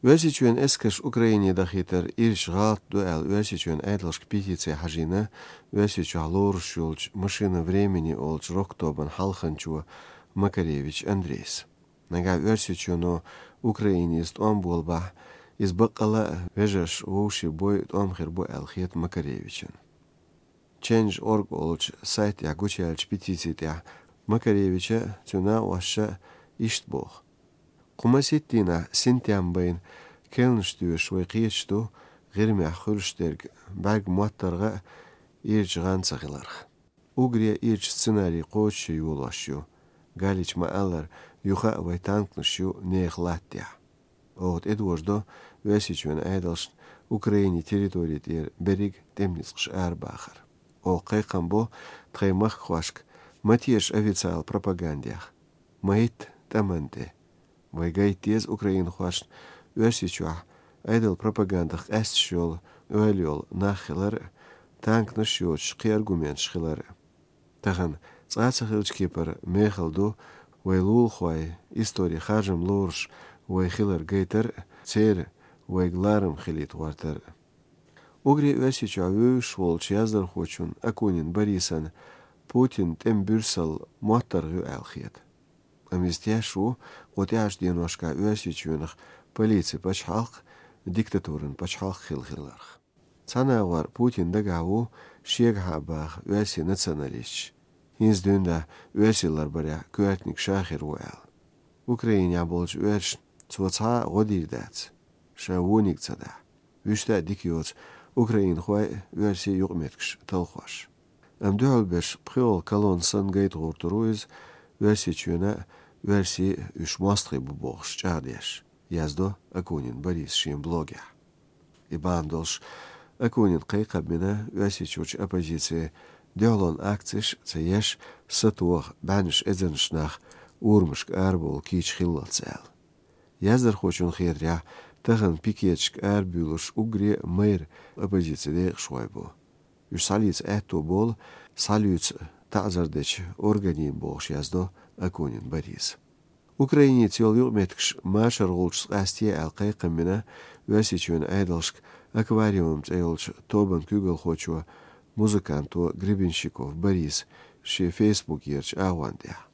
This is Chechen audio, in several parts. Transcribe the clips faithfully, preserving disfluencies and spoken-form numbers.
Оьрсийчоьнан эскарш Украине дахийтар ирча гӀалат ду аьлла, Оьрсийчоьнан Ӏедалшка петици хьажийна Оьрсийчохь лоруш йолчу «Машина времени» олучу рок-тобан хьалханчо Макаревич Андрейс. Нагахь Оьрсийчоьно Украине иза тӀом болабахь, иза баккъала а вежарша вовшийн бой тӀом хир бу аьлла хета Макаревичан. Change org олучу сайтехь гучуяьллачу петици тӀехь Макаревича а, цуьнан накъосташа а иштта боху: «Кху масийтта дийнахь синтем байна керланаш доьшуш вай кхеташ ду, ГӀирмехь хуьлуш дерг бӀаьрг моттаргӀа а, ирча гӀан ца хиларх. Уггаре ирча сценарий кхочуш йолош ю, Галича ма-аллара, юха а вай танканаш ю нехан латтехь. Оха тӀедожадо Оьрсийчоьнан Ӏедалшна Украинин территори тӀера берриг тӀеман ницкъаш арабахар. Оха кхайкхам бо тхайн махкахошка: ма теша официалан пропагандех, ма хӀитта тӀамна тӀе. Вай гайта деза украинхошна Оьрсийчохь Ӏедалан пропагандах къаьсташ йолу, ойла йолу нах хилар а, танканаш йоцуш кхин аргументаш хилар а. Тахана цкъа а ца хиллачу кепара мехала ду вай лулахойн историн харжам лоруш вай хилар гайтар а, церан вайга ларам хилийта гӀортар а». Уггаре Оьрсийчохь вевзаш волчу яздархочун Акунин Борисан Путинан тӀеман буьрсалла моттаргӀа ю аьлла хета. Амма иза теш ву кху тӀаьхьарчу деношкахь Оьрсийчоьнах полицин пачхьалкх диктатуран пачхьалкх хилла хиларх. Цхьана агӀор Путинна дагахь ву шегахьа а баха оьрсийн националисташ, хӀинца дуьйна оьрсий ларбарехь коьртаниг ша хир ву аьлла. Украинехь болчу оьрсашна цо цхьа а гӀо дийр дац, ша вониг ца дахь. Вуьшта а дика йоцу украинхой а, оьрсийн юкъаметтигаш талхош. Амма дуьхьал берш пхоьалгӀа колонна санна гайта гӀертар ву иза, Оьрсийчоьнан а, оьрсийн а уьш мостагӀий бу бохуш чӀагӀдеш, яздо Акунин Бориса шен блогехь. И бахьана долуш Акунина кхайкхам бина Оьрсийчуьрчу оппозицин дуьхьалонан акцеш а ца еш, сатоха, бӀеннаш эзарнаш нах урамашка арабовла кийча хиллалц аьлла. Яздархочунна хетарехь, тахана пикеташка арабуьйлуш уггаре а майра оппозицин декъашхой бу. Уьш схьалийца аьтто болу, схьалуьйцу таӀзар дечу органийн, бохуш яздо Акунин Бориса. Украиница йолу юкъаметтигаш машаргӀулчу къаьсте аьлла кхайкхам бина Оьрсийчоьнан Ӏедалшка «Аквариум» цӀе йолчу тобан куьйгалхочо, музыканто Гребенщиков Бориса шен фейсбукерачу агӀон тӀехь.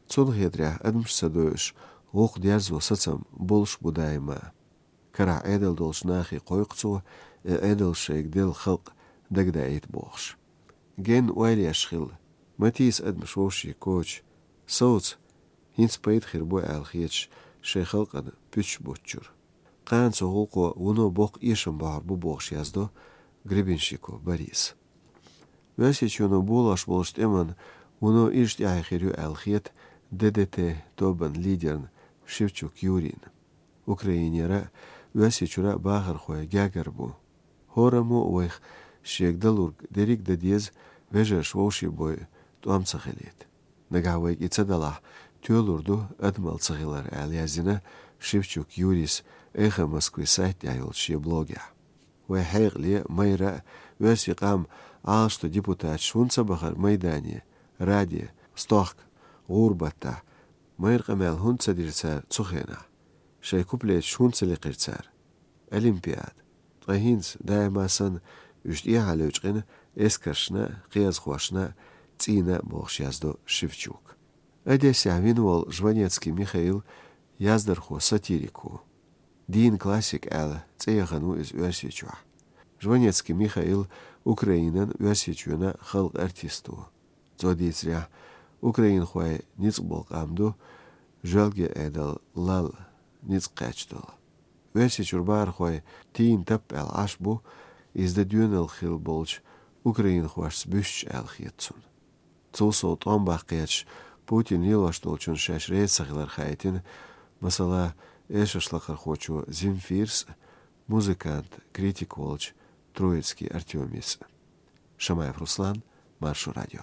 Цунна хетарехь, адамаш ца дойуш, гӀуллакх дерзо сацам болуш бу даима. Карахь Ӏедал долчу нахе кхойкху цо, и Ӏедал шайга делла халкъ дагадаийта бохуш. Генна ойла еш хилла, ма тийса адамаш вовшийн коча, совца, хӀинца пайда хир бу аьлла хеташ шайн халкъана пуьташ буттучуьра. Кхана цу гӀуллакхо вуно боккха эшам бахьар бу бохуш яздо Гребенщиков Бориса. Оьрсийчоьно болош болчу тӀеман вуно ирча тӀаьхье хир ю аьлла хета Д Д Т тобан лидерна Шевчук Юрийна. Украинера а, Оьрсийчуьра а бахархой гергара бу. ХӀораммо а вайх шега далург дерриг а дан деза, вежарша вовшийн бой тӀом ца хилийта. Нагахь вайга и ца далахь, тоьлур ду адамалла ца хилар, аьлла яздина Шевчук Юрийс «Эхо Москвы» сайта тӀехь йолчу шен блогехь. Вай хьекъале, майра а, оьрсийн къам Ӏалашдан депутаташ хӀунда ца бахара майдане, раде, стохка, гӀуран баттахь, майра къамел хӀунда ца дира цара цу хенахь? Шайн куплеташ хӀунда ца лекхира цара? Олимпиада. Ткъа хӀинца, даима санна, уьш тӀехьа левчкъина эскаршна а, кхиазхошна а, цӀийнна а, бохуш яздо Шевчук. Одессехь вина волу Жванецкий Михаил яздархо, сатирик ву. Дийнан классик аьлла цӀе яхана ву иза Оьрсийчохь. Жванецкий Михаил Украинан, Оьрсийчоьнан халкъан артист ву. Цо дийцарехь, украинхой ницкъ болу къам ду, жоьлге Ӏедал лал ницкъ кхаьчна долу. Оьрсийчуьра бахархой тийна таппа аьлла Ӏаш бу, иза дан доьналла хилла болчу украинхошца буьстича аьлла хета цунна. Цул сов тӀом баккха кхеташ, Путин лелош долчунна шаьш реза ца хилар хаийтина, масала, эшарш лакхархочо Земфирс а, музыкант, критик волчу Троицкий Артёмис а. Шамаев Руслан, Маршо радио.